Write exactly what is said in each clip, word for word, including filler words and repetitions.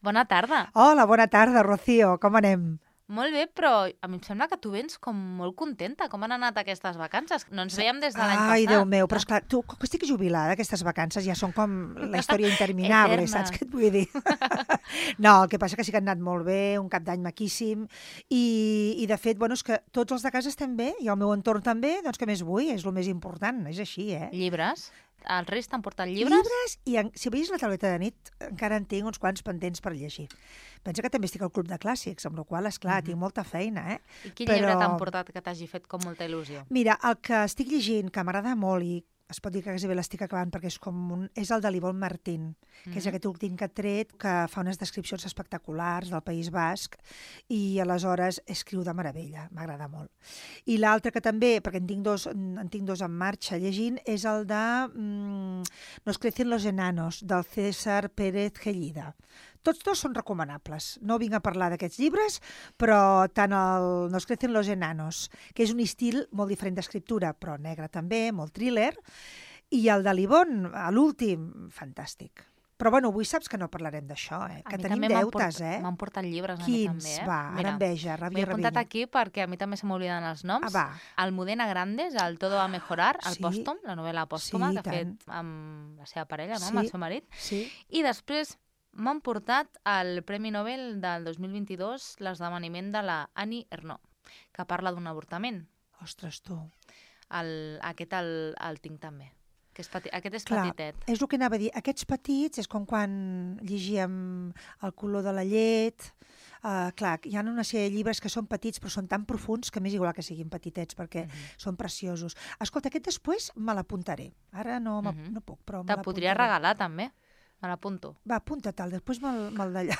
Bona tarda. Hola, bona tarda, Rocío. Com anem? Molt bé, però a mi em sembla que tu vens com molt contenta. Com han anat aquestes vacances? No ens veiem des de l'any passat. Ai, Déu meu, però esclar, tu, com que estic jubilada, aquestes vacances ja són com la història interminable, saps què et vull dir? No, el que passa que sí que han anat molt bé, un cap d'any maquíssim, i, i de fet, bueno, és que tots els de casa estem bé, i el meu entorn també, doncs què més vull? És el més important, és així, eh? Llibres? Els Reis t'han portat llibres? Llibres, i en, si veies la tauleta de nit, encara en tinc uns quants pendents per llegir. Pensa que també estic al Club de Clàssics, amb la qual cosa, esclar, mm-hmm. tinc molta feina, eh? I quin Però... llibre t'han portat que t'hagi fet com molta il·lusió? Mira, el que estic llegint, que m'agrada molt i es pot dir que quasi bé l'estic acabant perquè és com un... és el de l'Ivonne Martín, que mm-hmm. és aquest últim que ha tret, que fa unes descripcions espectaculars del País Basc i aleshores escriu de meravella, m'agrada molt. I l'altre que també, perquè en tinc dos, en tinc dos en marxa llegint, és el de mm, Nos crecen los enanos, del César Pérez Gellida. Tots dos són recomanables. No vinc a parlar d'aquests llibres, però tant el Nos crecen los enanos, que és un estil molt diferent d'escriptura, però negre també, molt thriller, i el de l'Ivonne, l'últim, fantàstic. Però bueno, avui saps que no parlarem d'això, eh? Que tenim deutes, eh? M'han portat llibres a Quins? mi també, eh? Va, ara enveja, ràbia i m'he apuntat aquí perquè a mi també se m'obliden els noms. Ah, va. Almudena Grandes, el Todo va mejorar, el Sí. pòstum, la novel·la pòstuma Sí, que ha tant. fet amb la seva parella, no? Sí. Amb el seu marit. Sí. I després m'han portat el Premi Nobel del dos mil vint-i-dos, l'esdeveniment de la Annie Ernaux, que parla d'un avortament. Ostres, tu. El, aquest el, el tinc també. Que és peti, aquest és Clar, petitet. és el que anava a dir. Aquests petits és com quan llegíem El color de la llet. Uh, clar, hi ha una sèrie de llibres que són petits però són tan profuns que m'és igual que siguin petitets perquè mm-hmm. són preciosos. Escolta, aquest després me l'apuntaré. Ara no, mm-hmm. no puc, però me Te podria regalar també. Me l'apunto. Va, apunta-te'l, després me'l me d'allà.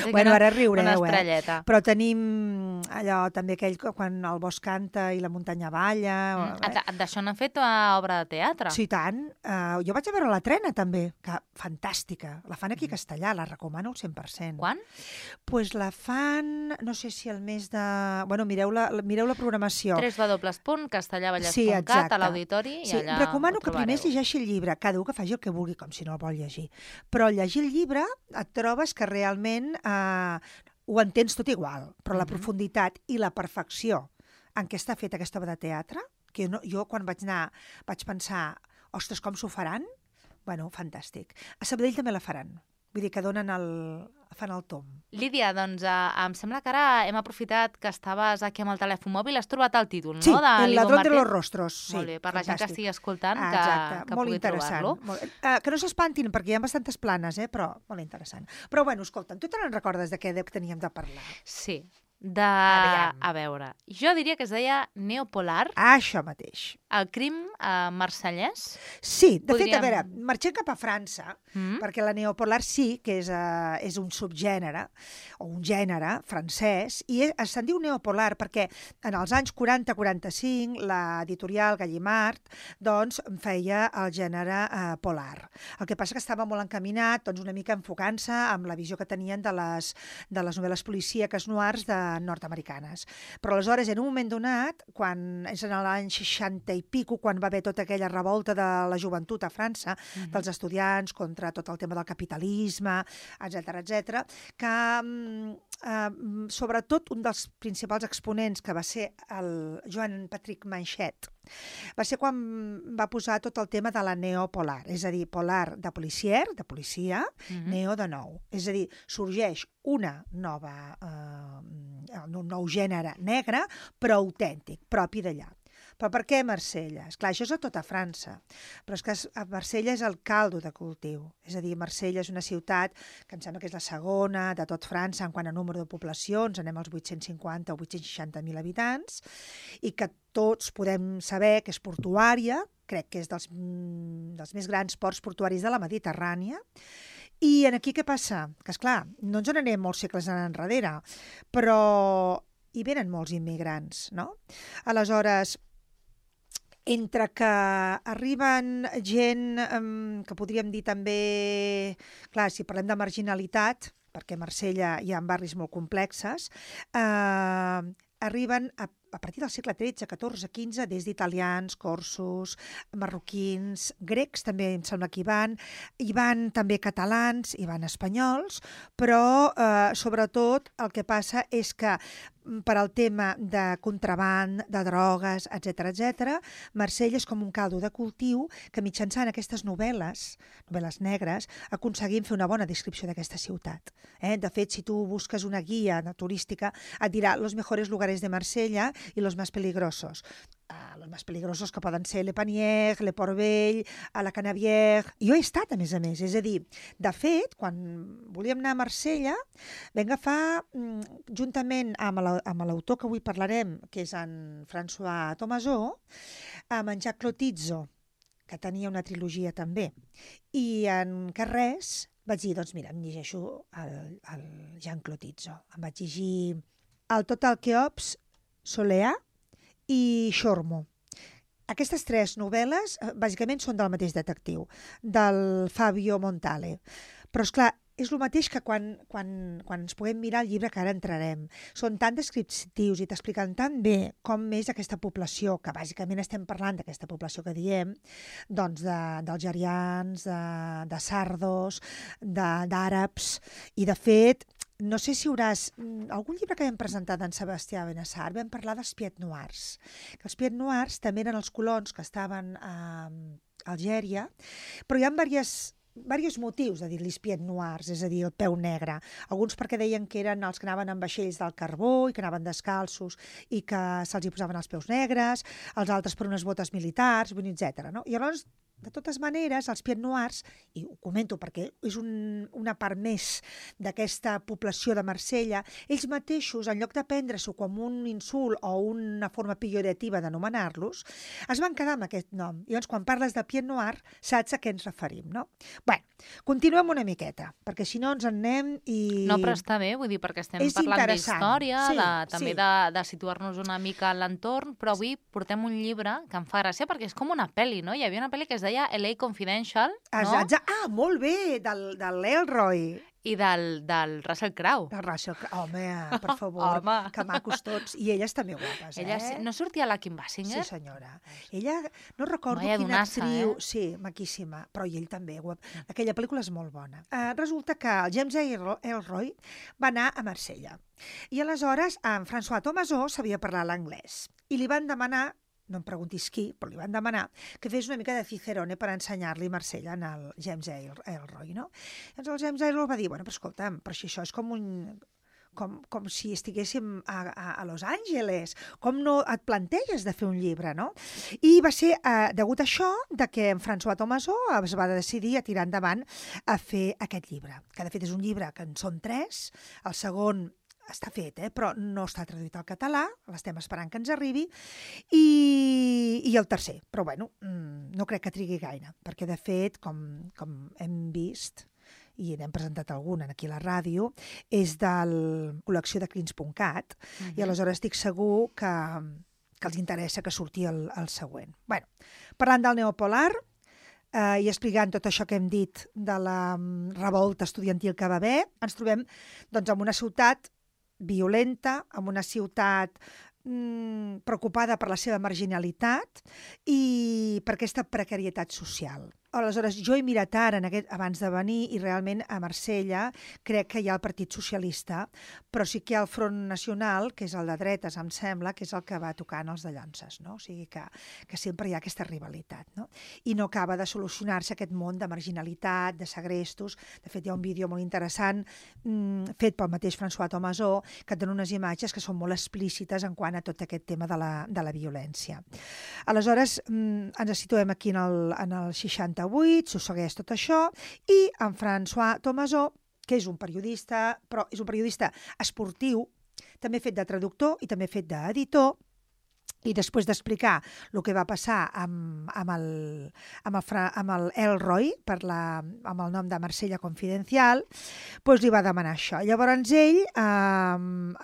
Bueno, ara riureu, una estrelleta. eh? Però tenim allò també aquell quan el bosc canta i la muntanya balla. Mm. Eh? D'això n'han fet una obra de teatre? Sí, tant. Uh, jo vaig a veure la Trena, també, que fantàstica. La fan aquí a Castellà, la recomano al cent per cent. Quan? Doncs pues la fan, no sé si el mes de... Bueno, mireu la, mireu la programació. tres w punt castellavallès punt cat sí, exacte. a l'auditori i sí, allà recomano que primer es llegeixi el llibre, cada un que faci el que vulgui, com si no el vol llegir. Però al llegir el llibre et trobes que realment eh, ho entens tot igual, però la mm-hmm. profunditat i la perfecció en què està feta aquesta obra de teatre, que no, jo quan vaig anar vaig pensar, ostres, com s'ho faran? Bueno, fantàstic. A Sabadell també la faran. Vull dir que donen el... fan el tom. Lídia, doncs eh, em sembla que ara hem aprofitat que estaves aquí amb el telèfon mòbil, has trobat el títol, sí, no? Sí, El ladrón de los rostros. Sí, molt bé, per fantàstic. la gent que estigui escoltant, ah, que, que molt pugui trobar-lo. Molt... Uh, que no s'espantin, perquè hi ha bastantes planes, eh? Però molt interessant. Però bueno, escolta'm, tu te n'en recordes de què teníem de parlar? Sí, de... Aviam. A veure, jo diria que es deia Neopolar. Ah, això mateix. El crim eh, marsellès? Sí, de Podríem... fet, a veure, marxem cap a França, mm. perquè la neopolar sí que és, uh, és un subgènere, o un gènere francès, i és, se'n diu neopolar perquè en els anys quaranta quaranta-cinc l'editorial Gallimard doncs, feia el gènere uh, polar. El que passa que estava molt encaminat doncs, una mica enfocant-se amb la visió que tenien de les, de les novel·les policíaques noirs de nord-americanes. Però aleshores, en un moment donat, quan és en l'any seixanta i pico, quan va haver tota aquella revolta de la joventut a França, mm-hmm. dels estudiants contra tot el tema del capitalisme, etcètera, etcètera, que eh, sobretot un dels principals exponents, que va ser el Joan Patrick Manchet, va ser quan va posar tot el tema de la neopolar, és a dir, polar de policier, de policia, mm-hmm. neo de nou. És a dir, sorgeix una nova, eh, un nou gènere negre, però autèntic, propi d'allà. Però per què Marsella? Esclar, això és a tota França, però és que Marsella és el caldo de cultiu. És a dir, Marsella és una ciutat que em sembla que és la segona de tot França en quant a número de poblacions, anem als vuit-cents cinquanta o vuit-cents seixanta mil habitants, i que tots podem saber que és portuària, crec que és dels, dels més grans ports portuaris de la Mediterrània. I aquí què passa? Que, esclar, no ens n'anem molts segles enrere, però hi venen molts immigrants, no? Aleshores, entre que arriben gent um, que podríem dir també, clar, si parlem de marginalitat, perquè a Marsella hi ha barris molt complexes, eh, arriben a a partir del segle tretze, catorze, quinze, des d'italians, corsos, marroquins, grecs també em sembla que hi van, hi van també catalans, hi van espanyols, però eh, sobretot el que passa és que per al tema de contraband, de drogues, etcètera, etcètera, Marsella és com un caldo de cultiu que mitjançant aquestes novel·les, novel·les negres, aconseguim fer una bona descripció d'aquesta ciutat. Eh? De fet, si tu busques una guia turística, et dirà los mejores lugares de Marsella i los más peligrosos. Uh, los més peligrosos que poden ser Le Panier, Le Port Vell, a la Canavière. Jo he estat, a més a més. És a dir, de fet, quan volíem anar a Marsella, vam agafar, juntament amb l'autor que avui parlarem, que és en François Thomazeau, amb en Jacques Clotizzo, que tenia una trilogia també, i en Carrés vaig dir, doncs mira, em llegeixo el, el Jean Clotizzo. Em vaig llegir el Total Cheops, Soleá, i Xormo. Aquestes tres novel·les, bàsicament, són del mateix detectiu, del Fabio Montale. Però, esclar, és el mateix que quan, quan, quan ens puguem mirar el llibre que ara entrarem. Són tan descriptius i t'expliquen tan bé com és aquesta població, que bàsicament estem parlant d'aquesta població que diem, doncs d'algerians, de, de sardos, d'àrabs, i de fet, no sé si hauràs... Algun llibre que vam presentar d'en Sebastià Benassar vam parlar dels Pied Noirs. Que els Pied Noirs també eren els colons que estaven a Algèria, però hi ha diversos, diversos motius de dir-los Pied Noirs, és a dir, el peu negre. Alguns perquè deien que eren els que anaven amb vaixells del carbó i que anaven descalços i que se'ls hi posaven els peus negres, els altres per unes botes militars, etcètera. No? I llavors, de totes maneres, els Pied Noirs, i ho comento perquè és un, una part més d'aquesta població de Marsella, ells mateixos, en lloc de prendre-s'ho com un insult o una forma pejorativa d'anomenar-los, es van quedar amb aquest nom. I llavors, quan parles de Pied Noir, saps a què ens referim, no? Bé, continuem una miqueta, perquè si no ens en anem i... No, però està bé, vull dir, perquè estem és parlant d'història, sí, de, també sí. de, de situar-nos una mica en l'entorn, però avui portem un llibre que em fa gràcia perquè és com una pel·li, no? Hi havia una pel·li que es deia L A Confidential, no? Exacte. Ah, molt bé, del, del Elroy. I del, del Russell Crowe. Del Russell Crowe. Home, per favor, Home. Que macos tots. I elles també guapes, Ella, eh? No sortia la Kim Basinger? Sí, senyora. Ella, no recordo Vaya quina donassa, actriu... eh? Sí, maquíssima, però i ell també. Guap. Aquella pel·lícula és molt bona. Uh, resulta que el James Elroy va anar a Marsella. I aleshores en François Thomazeau sabia parlar l'anglès. I li van demanar, no em preguntis qui, però li van demanar que fes una mica de Cicerone per ensenyar-li Marsella en el James Elroy, no? Llavors el James Elroy va dir, bueno, però escolta'm, però si això és com un... Com, com si estiguéssim a, a, a Los Angeles, com no et planteges de fer un llibre, no? I va ser eh, degut a això de que en François Thomazeau es va decidir a tirar endavant a fer aquest llibre, que de fet és un llibre que en són tres, el segon està fet, eh? Però no està traduït al català, l'estem esperant que ens arribi, i, i el tercer. Però bueno, no crec que trigui gaire, perquè de fet, com, com hem vist, i n'hem presentat algun aquí a la ràdio, és de la col·lecció de crins punt cat, uh-huh. I aleshores estic segur que, que els interessa que surti el, el següent. Bueno, parlant del neopolar, eh, i explicant tot això que hem dit de la um, revolta estudiantil que va haver, ens trobem doncs, en una ciutat violenta, en una ciutat mm, preocupada per la seva marginalitat i per aquesta precarietat social. Aleshores, jo he mirat ara en aquest, abans de venir i realment a Marsella crec que hi ha el Partit Socialista, però sí que hi ha el Front Nacional, que és el de dretes, em sembla, que és el que va tocant els de Llonses, no? O sigui que, que sempre hi ha aquesta rivalitat, no? I no acaba de solucionar-se aquest món de marginalitat, de segrestos. De fet, hi ha un vídeo molt interessant mmm, fet pel mateix François Thomazeau que et dona unes imatges que són molt explícites en quant a tot aquest tema de la, de la violència. Aleshores, mmm, ens situem aquí en el, en el seixanta s'ho tot això, i en François Thomazeau, que és un periodista, però és un periodista esportiu, també fet de traductor i també fet d'editor, i després d'explicar el que va passar amb, amb, el, amb, el, amb el Elroy, per la, amb el nom de Marsella Confidencial, doncs li va demanar això. Llavors ell eh,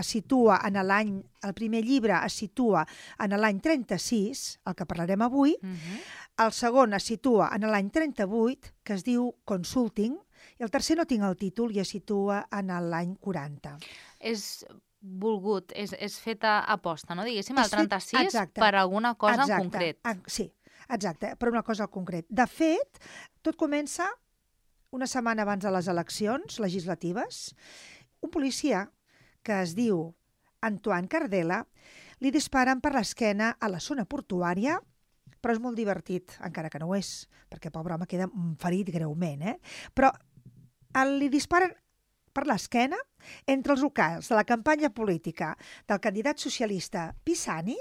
es situa en l'any, el primer llibre es situa en l'any trenta-sis, el que parlarem avui, uh-huh. El segon es situa en l'any trenta-vuit, que es diu Consulting, i el tercer no tinc el títol i es situa en l'any quaranta. És... volgut, és, és feta a posta, no? Diguéssim, És el trenta-sis fet- exacte. per alguna cosa Exacte. en concret. Ah, sí, exacte, per una cosa en concret. De fet, tot comença una setmana abans de les eleccions legislatives. Un policia que es diu Antoine Cardela li disparen per l'esquena a la zona portuària, però és molt divertit, encara que no ho és, perquè pobre home queda ferit greument, eh? Però el, li disparen per l'esquena entre els locals de la campanya política del candidat socialista Pisani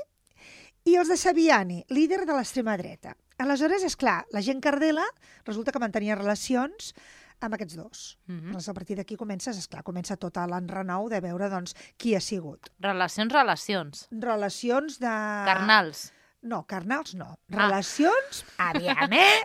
i els de Saviani, líder de l'extrema dreta. Aleshores, és clar, la gent Cardela resulta que mantenia relacions amb aquests dos. Mhm. Doncs a partir d'aquí comences, esclar, comença tot l'enrenou de veure doncs, qui ha sigut. Relacions, relacions. Relacions de... Carnals. No, carnals no. Ah. Relacions, aviam, eh?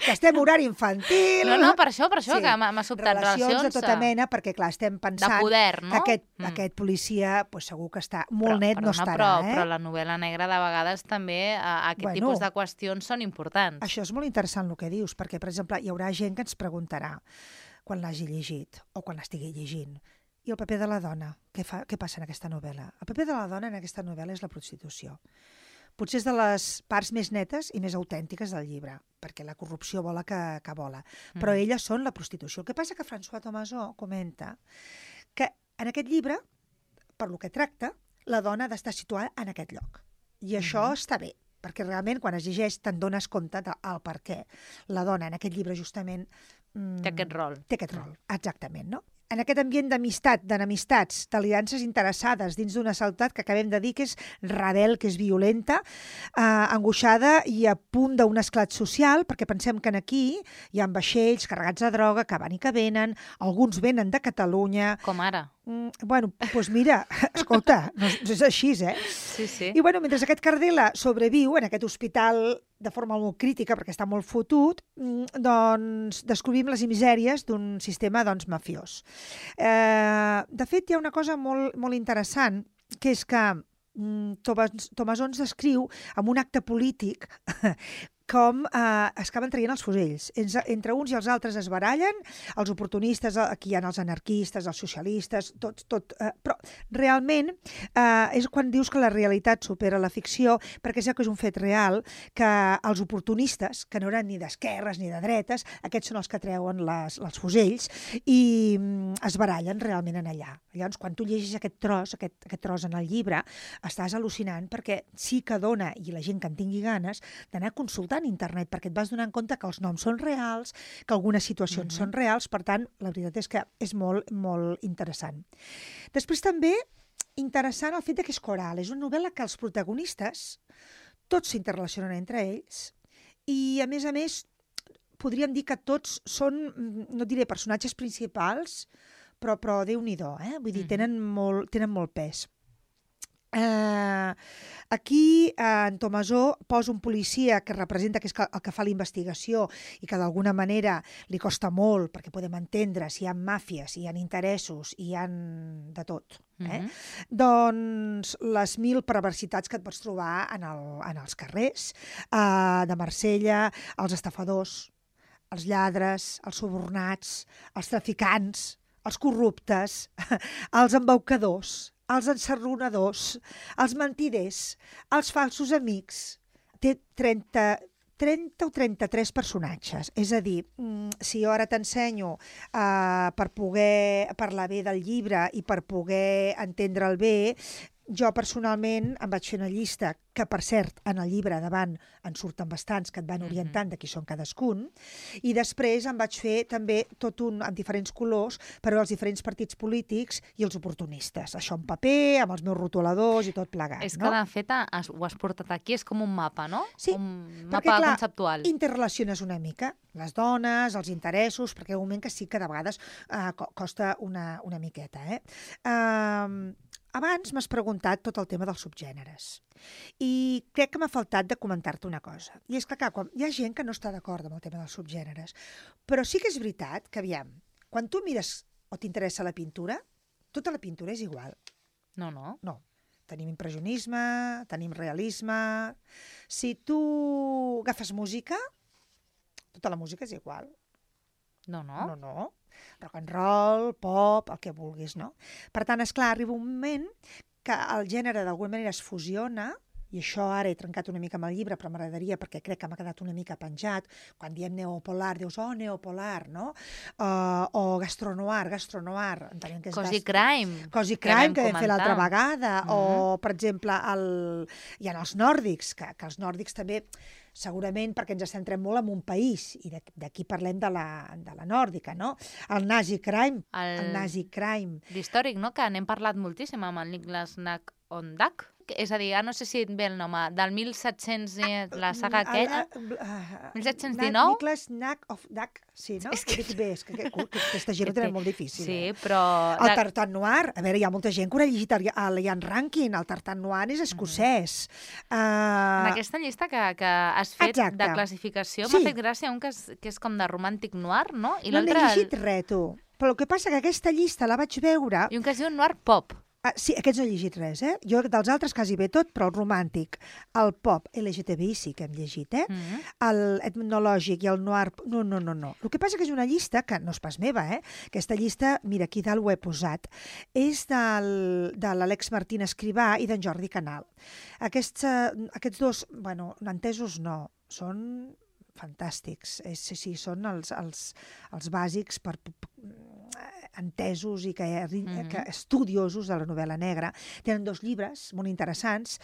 Que estem horari infantil. No, no, per això, per això, Sí. que m'ha m'ha sobtat. Relacions, Relacions de tota eh, mena, perquè clar, estem de pensant poder, no? que aquest, Mm. aquest policia pues, segur que està molt Però, net, no perdona, estarà, però, eh? però la novel·la negra de vegades també eh, aquest Bueno. tipus de qüestions són importants. Això és molt interessant el que dius, perquè, per exemple, hi haurà gent que ens preguntarà quan l'hagi llegit o quan l'estigui llegint. I el paper de la dona? Què, fa, què passa en aquesta novel·la? El paper de la dona en aquesta novel·la és la prostitució. Potser és de les parts més netes i més autèntiques del llibre, perquè la corrupció vola que, que vola. Però Mm. elles són la prostitució. El que passa que François Thomasó comenta que en aquest llibre, per lo que tracta, la dona ha d'estar situada en aquest lloc. I això Mhm. està bé, perquè realment quan es llegeix te'n dones compte del per què la dona en aquest llibre justament mm, Té aquest rol. té aquest rol, exactament, no? En aquest ambient d'amistat, d'enemistats, d'aliances interessades dins d'una ciutat que acabem de dir que és rebel, que és violenta, eh, angoixada i a punt d'un esclat social, perquè pensem que en aquí hi ha vaixells carregats de droga que van i que venen, alguns venen de Catalunya. Com ara. Mm, bueno, doncs mira, escolta, no és, és així, eh? Sí, sí. I bueno, mentre aquest Cardela sobreviu en aquest hospital de forma molt crítica, perquè està molt fotut, mm, doncs descobrim les misèries d'un sistema doncs, mafiós. Eh, de fet, hi ha una cosa molt, molt interessant, que és que mm, Thomas, Thomasó ens descriu amb un acte polític com eh, es acaben traient els fusells. Entre, entre uns i els altres es barallen, els oportunistes, aquí hi ha els anarquistes, els socialistes, tot, tot, eh, però realment eh, és quan dius que la realitat supera la ficció, perquè és que és un fet real que els oportunistes, que no eren ni d'esquerres ni de dretes, aquests són els que treuen les, els fusells i mm, es barallen realment en allà. Llavors, quan tu llegis aquest tros, aquest, aquest tros en el llibre, estàs al·lucinant perquè sí que dona, i la gent que en tingui ganes, d'anar a consultar en internet, perquè et vas donar compte que els noms són reals, que algunes situacions Mhm. són reals, per tant, la veritat és que és molt, molt interessant. Després també, interessant el fet de que és coral. És una novel·la que els protagonistes tots s'interrelacionen entre ells i, a més a més, podríem dir que tots són, no diré personatges principals, però, però Déu-n'hi-do, eh? Vull dir, Mhm. tenen molt, tenen molt pes. Eh, aquí eh, en Thomasó posa un policia que representa que és el que fa la investigació i que d'alguna manera li costa molt perquè podem entendre si hi ha màfies, hi ha interessos, hi ha de tot. Eh? Mhm. Doncs les mil perversitats que et pots trobar en, el, en els carrers eh, de Marsella, els estafadors, els lladres, els subornats, els traficants, els corruptes, els embaucadors, els ensarronadors, els mentiders, els falsos amics. Té trenta, trenta o trenta-tres personatges. És a dir, si jo ara t'ensenyo uh, per poder parlar bé del llibre i per poder entendre'l bé, jo personalment em vaig fer una llista que, per cert, en el llibre davant en surten bastants que et van orientant de qui són cadascun, i després em vaig fer també tot un amb diferents colors per veure els diferents partits polítics i els oportunistes. Això en paper, amb els meus rotuladors i tot plegat. És no? que, de fet, has, ho has portat aquí, és com un mapa, no? Sí, un perquè, mapa clar, conceptual. interrelaciones una mica les dones, els interessos, perquè hi ha un moment que sí que de vegades uh, costa una, una miqueta. Eh? Uh, abans m'has preguntat tot el tema dels subgèneres i crec que m'ha faltat de comentar-te una cosa. I és que, clar, quan hi ha gent que no està d'acord amb el tema dels subgèneres, però sí que és veritat que, aviam, quan tu mires o t'interessa la pintura, tota la pintura és igual. No, no. No. Tenim impressionisme, tenim realisme. Si tu agafes música, tota la música és igual. No, no. No, no. rock and roll, pop, el que vulguis, no? Per tant, esclar, arriba un moment que el gènere d'alguna manera es fusiona, i això ara he trencat una mica amb el llibre, però m'agradaria perquè crec que m'ha quedat una mica penjat. Quan diem neopolar, dius, oh, neopolar, no? Uh, o gastronoir, gastronoir. Entenem que és Cozy gast... crime. Cozy crime, que, que vam fer comentar. l'altra vegada. Mm-hmm. O, per exemple, el... hi ha els nòrdics, que, que els nòrdics també, segurament perquè ens centrem molt en un país, i d'aquí parlem de la, de la nòrdica, no? El nazi crime. El, el nazi crime. D'històric, no? Que n'hem parlat moltíssim amb el Niklas Nack on Duck. És a dir, ja no sé si et ve el nom, del mil set-cents, la saga aquella, mil set-cents dinou? Niklas Nack of Duck, sí, no? És que dic bé, és que, que, que aquesta gent ho tenen molt difícil. Sí, eh? però... El Tartan Noir, a veure, hi ha molta gent que ho ha llegit el, el Ian Rankin, el Tartan Noir és escocès. Mm-hmm. uh... En aquesta llista que, que has fet Exacte. De classificació, Sí. m'ha fet gràcia un que és, que és com de romàntic noir, no? I no n'he l'altre... llegit res, tu. Però el que passa que aquesta llista la vaig veure... I un que es diu noir pop. Ah, sí, aquests no he llegit res, eh? Jo dels altres quasi bé tot, però el romàntic, el pop, L G T B I sí que hem llegit, eh? Mm-hmm. El etnològic i el noir... No, no, no, no. El que passa que és una llista, que no és pas meva, eh? Aquesta llista, mira, aquí dalt ho he posat, és del, de l'Àlex Martín Escrivà i d'en Jordi Canal. Aquests, uh, aquests dos, bueno, entesos no, són fantàstics. És, sí, sí, són els, els, els bàsics per... per entesos i que, mm-hmm. que estudiosos de la novel·la negra. Tenen dos llibres molt interessants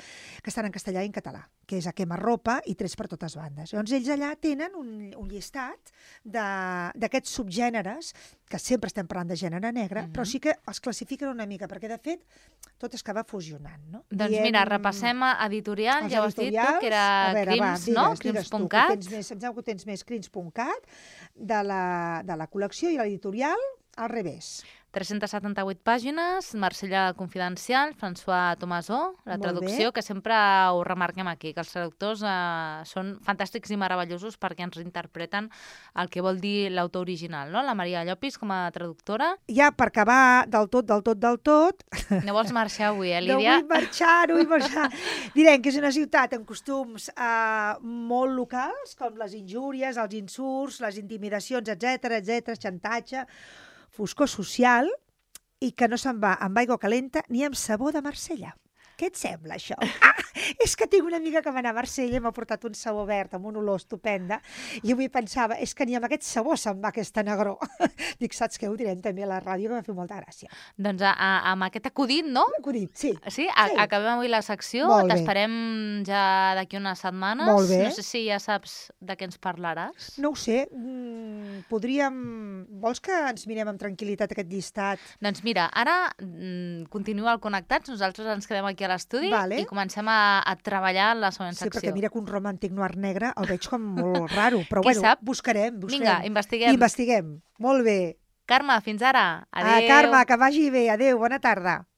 que estan en castellà i en català, que és A quemarropa i Trets per totes bandes. Llavors ells allà tenen un, un llistat d'aquests subgèneres, que sempre estem parlant de gènere negre, mm-hmm. però sí que els classifiquen una mica, perquè de fet tot es acaba fusionant. No? Doncs Diem... mira, repassem a editorial, ja ho has dit tu, que era veure, Crims, va, no? Crims punt cat. Em sembla que tens més Crims punt cat de la, de la col·lecció, i l'editorial al revés. tres-centes setanta-vuit pàgines, Marsella Confidencial, François Tomasó, la Molt traducció, bé. que sempre ho remarquem aquí, que els traductors eh, són fantàstics i meravellosos perquè ens reinterpreten el que vol dir l'autor original, no? La Maria Llopis, com a traductora. Ja per acabar del tot, del tot, del tot... No vols marxar avui, eh, No Lídia? vull marxar, no vull marxar. Direm que és una ciutat amb costums eh, molt locals, com les injúries, els insults, les intimidacions, etcètera, etcètera, xantatge, foscor social, i que no se'n va amb aigua calenta ni amb sabó de Marsella. Què et sembla, això? Ah, és que tinc una amiga que va anar a Marsella i m'ha portat un sabó verd amb una olor estupenda, i avui pensava, és que ni amb aquest sabó se'n va aquesta negró. Dic, saps què? Ho direm també a la ràdio, que m'ha fet molta gràcia. Doncs a, a, amb aquest acudit, no? Acudit, sí. Sí? A, Sí. Acabem avui la secció, Molt bé. t'esperem ja d'aquí unes setmanes. Molt bé. No sé si ja saps de què ens parlaràs. No ho sé, mm, podríem... Vols que ens mirem amb tranquil·litat aquest llistat? Doncs mira, ara mm, continua el Connectats, nosaltres ens quedem aquí a l'estudi Vale. i comencem a, a treballar en la següent Sí, secció. perquè mira que un romàntic noir negre el veig com molt raro, però Qui bueno, sap? buscarem, buscarem. Vinga, investiguem. Investiguem. Molt bé. Carme, fins ara. Ah, Adéu. Carme, que vagi bé. Adéu, bona tarda.